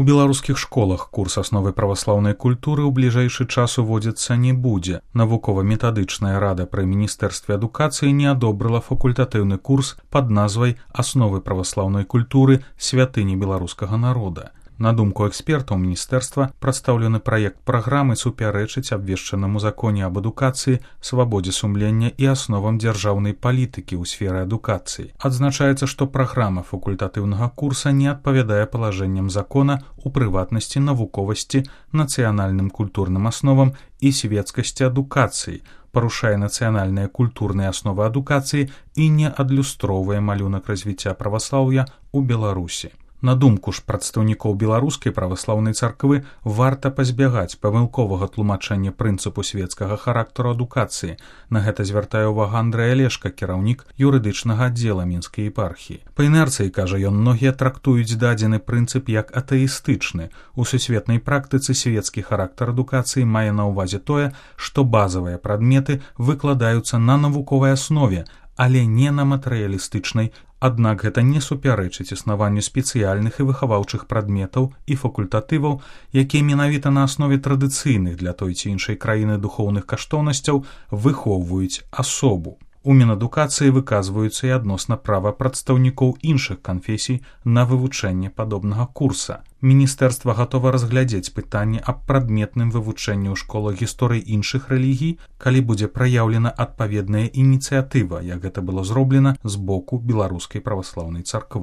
У беларускіх школах курс асновы праваслаўнай культуры ў бліжэйшы час уводзіцца не будзе. Навукова-метадычная рада пры міністэрстве адукацыі не адобрыла факультатыўны курс пад назвай «Асновы праваслаўнай культуры. Святыні беларускага народа». На думку экспертаў міністэрства, прадстаўлены праект праграмы супярэчыць абвешчанаму законе аб адукацыі, свабодзе сумлення і асновам дзяржаўнай палітыкі ў сферы адукацыі. Адзначаецца, што праграма факультатыўнага курса не адпавядае палажэнням закона, у прыватнасці навуковасці, нацыянальным культурным асновам і свецкасці адукацыі, парушае нацыянальныя культурныя асновы адукацыі і не адлюстроўвае малюнак развіцця праваслаўя ў Беларусі. На думку ж прадстаўнікоў беларускай праваслаўнай царквы, варта пазбягаць памылковага тлумачэння прынцыпу свецкага характару адукацыі. На гэта звяртае ўвагу Андрэй Алешка, кіраўнік юрыдычнага аддзела мінскай епархіі. Па інерцыі, кажа ён, многія трактуюць дадзены прынцып як атэістычны. У сусветнай практыцы свецкі характар адукацыі мае на ўвазе тое, што базавыя прадметы выкладаюцца на навуковай аснове, але не на матэрыялістычнай. Аднак гэта не супярэчыць існаванню спецыяльных і выхаваўчых прадметаў і факультатываў, якія менавіта на аснове традыцыйных для той ці іншай краіны духоўных каштоўнасцяў выхоўваюць асобу. У Мінадукацыі выказваюцца і адносна права прадстаўнікоў іншых канфесій на вывучэнне падобнага курса. Міністэрства гатова разглядзець пытанне аб прадметным вывучэнні ў школах гісторыі іншых рэлігій, калі будзе праяўлена адпаведная ініцыятыва, як гэта было зроблена з боку беларускай праваслаўнай царквы.